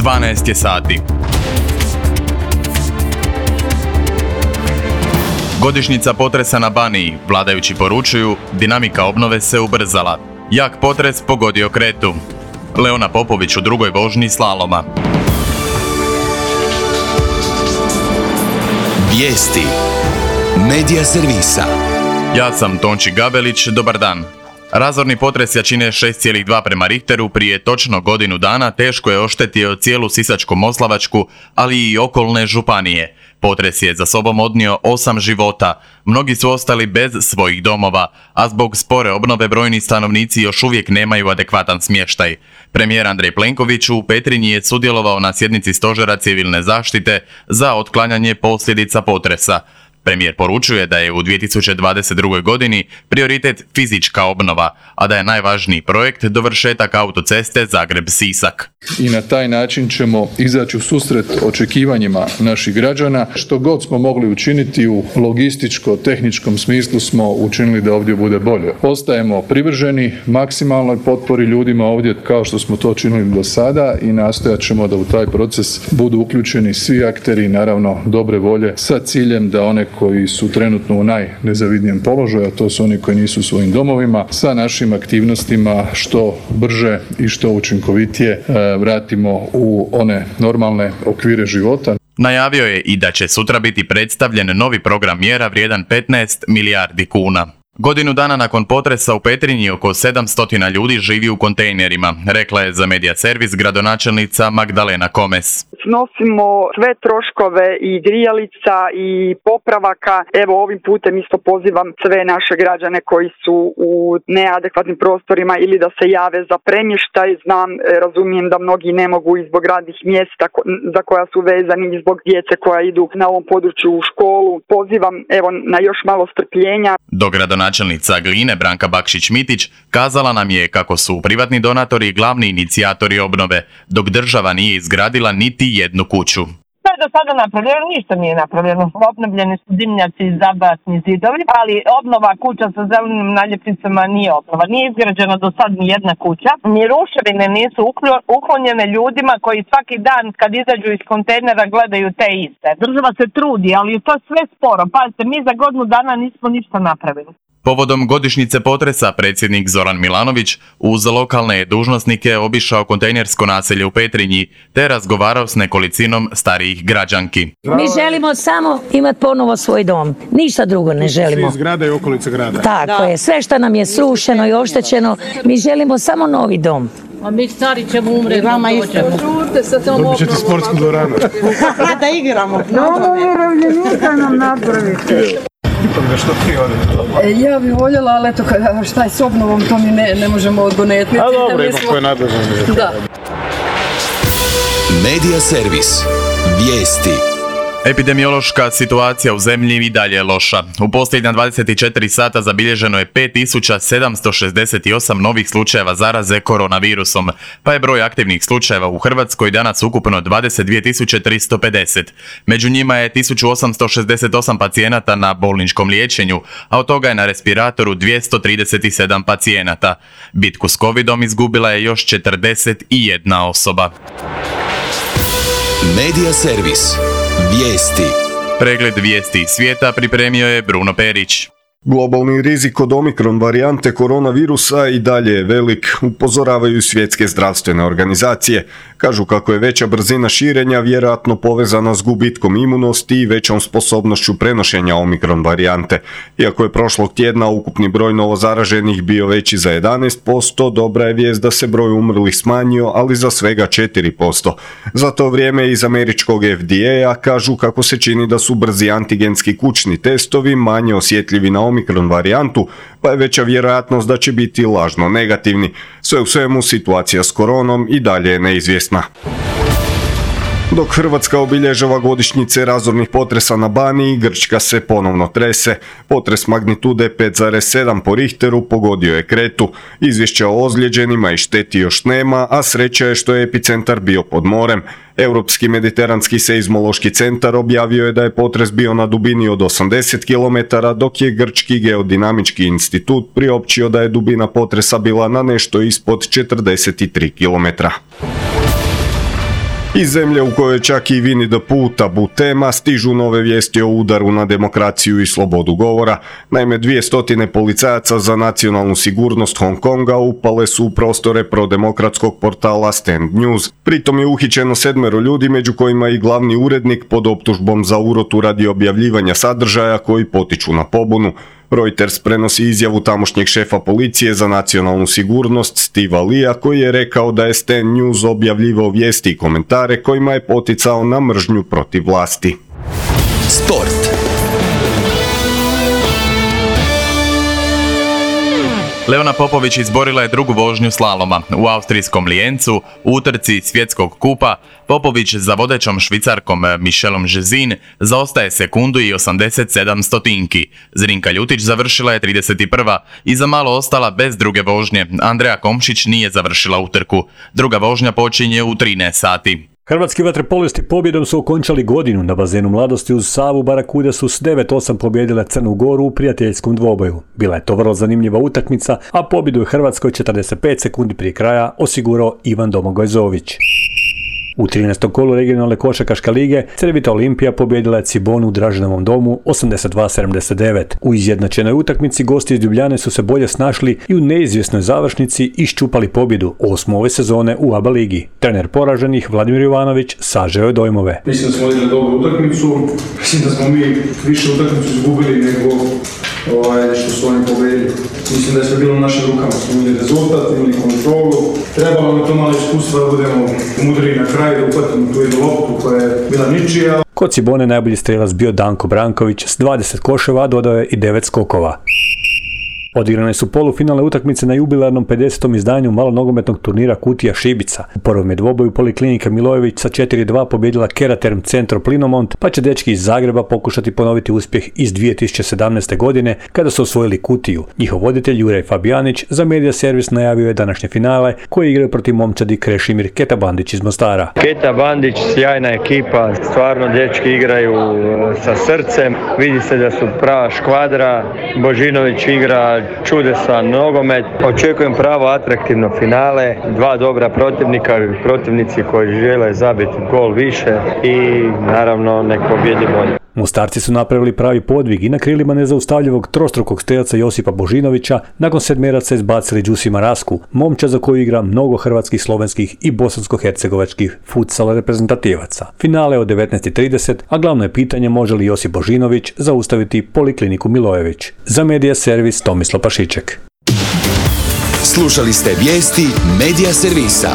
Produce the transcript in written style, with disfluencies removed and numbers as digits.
12 je sati. Godišnjica potresa na Baniji, vladajući poručuju, dinamika obnove se ubrzala. Jak potres pogodio Kretu. Leona Popović u drugoj vožnji slaloma. Vijesti Medija servisa. Ja sam Tonči Gabelić, dobar dan. Razorni potres jačine 6,2 prema Richteru prije točno godinu dana teško je oštetio cijelu Sisačko-moslavačku, ali i okolne županije. Potres je za sobom odnio 8 života. Mnogi su ostali bez svojih domova, a zbog spore obnove brojni stanovnici još uvijek nemaju adekvatan smještaj. Premijer Andrej Plenković u Petrinji je sudjelovao na sjednici Stožera civilne zaštite za otklanjanje posljedica potresa. Premijer poručuje da je u 2022. godini prioritet fizička obnova, a da je najvažniji projekt dovršetak autoceste Zagreb-Sisak. I na taj način ćemo izaći u susret očekivanjima naših građana. Što god smo mogli učiniti u logističko-tehničkom smislu smo učinili da ovdje bude bolje. Ostajemo privrženi maksimalnoj potpori ljudima ovdje kao što smo to činili do sada i nastojat ćemo da u taj proces budu uključeni svi akteri, naravno dobre volje, sa ciljem da one koji su trenutno u najnezavidnijem položaju, a to su oni koji nisu u svojim domovima, sa našim aktivnostima što brže i što učinkovitije vratimo u one normalne okvire života. Najavio je i da će sutra biti predstavljen novi program mjera vrijedan 15 milijardi kuna. Godinu dana nakon potresa u Petrinji oko 700 ljudi živi u kontejnerima, rekla je za Medija servis gradonačelnica Magdalena Komes. Snosimo sve troškove i grijalica i popravaka. Evo ovim putem isto pozivam sve naše građane koji su u neadekvatnim prostorima ili da se jave za premještaj. Razumijem da mnogi ne mogu i zbog radnih mjesta za koja su vezani i zbog djece koja idu na ovom području u školu. Pozivam na još malo strpljenja. Do gradonačelnica Gline Branka Bakšić-Mitić kazala nam je kako su privatni donatori glavni inicijatori obnove, dok država nije izgradila niti jednu kuću. Sve do sada napravljeno, ništa nije napravljeno. Obnovljeni su dimnjaci i zabatni zidovi, ali obnova kuća sa zelenim naljepnicama nije obnova. Nije izgrađena do sad ni jedna kuća, ni ruševine nisu uklonjene ljudima koji svaki dan kad izađu iz kontejnera gledaju te iste. Država se trudi, ali je to sve sporo. Pazite, mi za godinu dana nismo ništa napravili. Povodom godišnjice potresa predsjednik Zoran Milanović uz lokalne dužnosnike obišao kontejnersko naselje u Petrinji te razgovarao s nekolicinom starijih građanki. Mi želimo samo imati ponovo svoj dom, ništa drugo ne želimo. Svi zgrada i okolice grada. Tako je, sve što nam je srušeno i oštećeno, mi želimo samo novi dom. A mi stari ćemo umreti. Vama isto. Dobit ćete sportsku dvoranu. Da igramo. Novo umirovljenika nam napravite. Ja bih voljela, ali eto, šta je s obnovom, to mi ne možemo odgonetniti. A dobro, ima koje nadležno. Da. Medija servis. Vijesti. Epidemiološka situacija u zemlji i dalje je loša. U posljednja 24 sata zabilježeno je 5768 novih slučajeva zaraze koronavirusom, pa je broj aktivnih slučajeva u Hrvatskoj danas ukupno 22.350. Među njima je 1868 pacijenata na bolničkom liječenju, a od toga je na respiratoru 237 pacijenata. Bitku s covidom izgubila je još 41 osoba. Medija servis. Vijesti. Pregled vijesti iz svijeta pripremio je Bruno Perić. Globalni rizik od omikron varijante koronavirusa i dalje je velik, upozoravaju svjetske zdravstvene organizacije. Kažu kako je veća brzina širenja vjerojatno povezana s gubitkom imunosti i većom sposobnošću prenošenja omikron varijante. Iako je prošlog tjedna ukupni broj novozaraženih bio veći za 11%, dobra je vijest da se broj umrlih smanjio, ali za svega 4%. Za to vrijeme iz američkog FDA kažu kako se čini da su brzi antigenski kućni testovi manje osjetljivi na omikron varijantu, pa je veća vjerojatnost da će biti lažno negativni. Sve u svemu situacija s koronom i dalje je neizvjesna. Dok Hrvatska obilježava godišnjice razornih potresa na Baniji, Grčka se ponovno trese. Potres magnitude 5,7 po Richteru pogodio je Kretu. Izvješća o ozlijeđenima i šteti još nema, a sreća je što je epicentar bio pod morem. Europski mediteranski seizmološki centar objavio je da je potres bio na dubini od 80 km, dok je Grčki geodinamički institut priopćio da je dubina potresa bila na nešto ispod 43 km. Iz zemlje u kojoj čak i Winnie the Pooh tabu tema stižu nove vijesti o udaru na demokraciju i slobodu govora. Naime, 200 policajaca za nacionalnu sigurnost Hong Konga upale su u prostore prodemokratskog portala Stand News. Pritom je uhićeno 7 ljudi, među kojima i glavni urednik pod optužbom za urotu radi objavljivanja sadržaja koji potiču na pobunu. Reuters prenosi izjavu tamošnjeg šefa policije za nacionalnu sigurnost Steva Lia, koji je rekao da je Stand News objavljivao vijesti i komentare kojima je poticao na mržnju protiv vlasti. Sport. Leona Popović izborila je drugu vožnju slaloma. U austrijskom Lijencu, u utrci svjetskog kupa, Popović za vodećom Švicarkom Michelom Jezin zaostaje sekundu i 87 stotinki. Zrinka Ljutić završila je 31. i za malo ostala bez druge vožnje. Andreja Komšić nije završila utrku. Druga vožnja počinje u 13 sati. Hrvatski vaterpolisti pobjedom su okončali godinu. Na bazenu Mladosti uz Savu Barakude su s 9-8 pobjedile Crnu Goru u prijateljskom dvoboju. Bila je to vrlo zanimljiva utakmica, a pobjedu je Hrvatskoj 45 sekundi prije kraja osigurao Ivan Domagoj Zović. U 13. kolu regionalne košarkaške lige Crvita Olimpija pobjedila je Cibonu u Draženovom domu 82-79. U izjednačenoj utakmici gosti iz Ljubljane su se bolje snašli i u neizvjesnoj završnici iščupali pobjedu 8. ove sezone u ABA ligi. Trener poraženih Vladimir Jovanović sažeo je dojmove. Mislim da smo odigrali dobru utakmicu, mislim da smo mi više utakmicu izgubili nego što su oni pobedili. Mislim da je sve bilo u našim rukama, smo imali rezultat, imali kontrolu. Trebalo nam to malo iskustva da budemo mudri na kraju, da upatimo tu jednu loptu koja je bila ničija. Kod Cibone najbolji strelac bio Danko Branković s 20 koševa, dodao je i 9 skokova. Odigrane su polufinalne utakmice na jubilarnom 50. izdanju malonogometnog turnira Kutija Šibica. U prvom je dvoboju Poliklinika Milojević sa 4-2 pobjedila Keraterm Centro Plinomont, pa će dečki iz Zagreba pokušati ponoviti uspjeh iz 2017. godine kada su osvojili Kutiju. Njihov voditelj Juraj Fabijanić za Media Servis najavio je današnje finale koje igraju protiv momčadi Krešimir Keta Bandić iz Mostara. Keta Bandić, sjajna ekipa, stvarno dečki igraju sa srcem, vidi se da su prava škvadra, Božinović igra čudesan nogomet. Očekujem pravo atraktivno finale, dva dobra protivnici koji žele zabiti gol više i naravno nek pobjedi bolje. Mostarci su napravili pravi podvig i na krilima nezaustavljivog trostrukog strelca Josipa Božinovića nakon sedmeraca izbacili Đusima Rasku, momča za koju igra mnogo hrvatskih, slovenskih i bosansko-hercegovačkih futsal reprezentativaca. Finale od 19:30, a glavno je pitanje može li Josip Božinović zaustaviti Polikliniku Milojević. Za Media Servis Tomislav Pašiček. Slušali ste vijesti Media Servisa.